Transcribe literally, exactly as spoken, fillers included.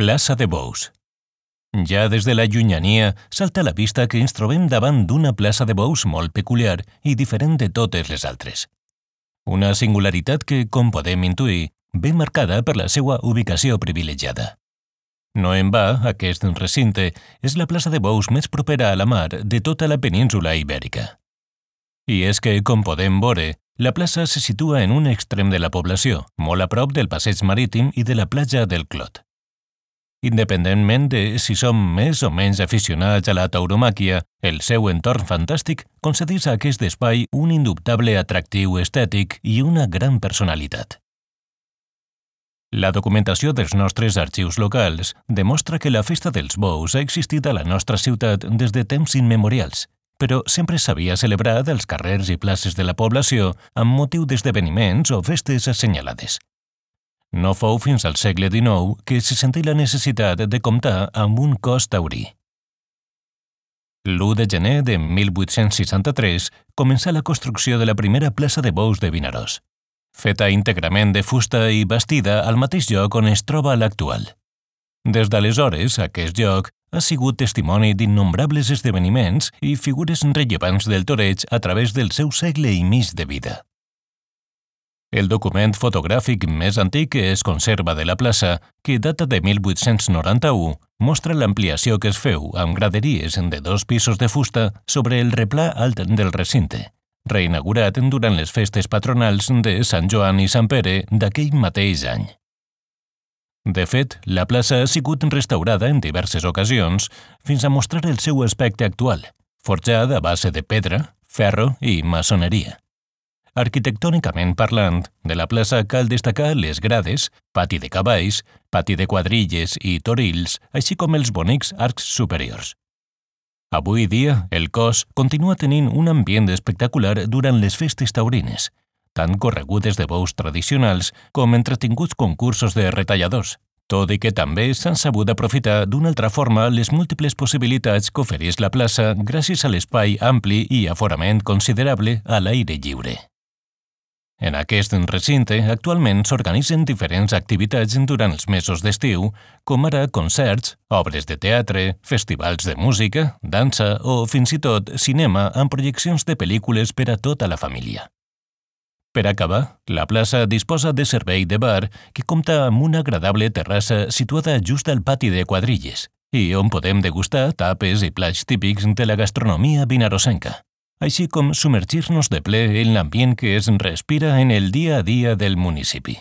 Plaça de Bous. Ja des de la llunyania salta a la vista que ens trobem davant d'una plaça de bous molt peculiar i diferent de totes les altres. Una singularitat que, com podem intuir, ve marcada per la seva ubicació privilegiada. No en va, aquest recinte és la plaça de bous més propera a la mar de tota la península ibèrica. I és que, com podem veure, la plaça se situa en un extrem de la població, molt a prop del passeig marítim i de la platja del Clot. Independentment de si som més o menys aficionats a la tauromàquia, el seu entorn fantàstic concedeix a aquest espai un indubtable atractiu estètic i una gran personalitat. La documentació dels nostres arxius locals demostra que la festa dels bous ha existit a la nostra ciutat des de temps immemorials, però sempre s'havia celebrat als carrers i places de la població amb motiu d'esdeveniments o festes assenyalades. No fou fins al segle dinou que se sentí la necessitat de comptar amb un cos taurí. l'u de gener de mil vuit-cents seixanta-tres començà la construcció de la primera plaça de bous de Vinaròs, feta íntegrament de fusta i bastida al mateix lloc on es troba l'actual. Des d'aleshores, aquest lloc ha sigut testimoni d'innombrables esdeveniments i figures rellevants del toreig a través del seu segle i mig de vida. El document fotogràfic més antic que es conserva de la plaça, que data de mil vuit-cents noranta-u, mostra l'ampliació que es feu amb graderies de dos pisos de fusta sobre el replà alt del recinte, reinaugurat durant les festes patronals de Sant Joan i Sant Pere d'aquell mateix any. De fet, la plaça ha sigut restaurada en diverses ocasions fins a mostrar el seu aspecte actual, forjada a base de pedra, ferro i maçoneria. Arquitectònicament parlant, de la plaça cal destacar les grades, pati de cavalls, pati de quadrilles i torills, així com els bonics arcs superiors. Avui dia, el cos continua tenint un ambient espectacular durant les festes taurines, tant corregudes de bous tradicionals com entretinguts concursos de retalladors, tot i que també s'han sabut aprofitar d'una altra forma les múltiples possibilitats que ofereix la plaça gràcies a l'espai ampli i aforament considerable a l'aire lliure. En aquest recinte actualment s'organitzen diferents activitats durant els mesos d'estiu, com ara concerts, obres de teatre, festivals de música, dansa o, fins i tot, cinema amb projeccions de pel·lícules per a tota la família. Per acabar, la plaça disposa de servei de bar que compta amb una agradable terrassa situada just al pati de quadrilles i on podem degustar tapes i plats típics de la gastronomia vinarossenca, així com submergir-nos de ple en l'ambient que es respira en el dia a dia del municipi.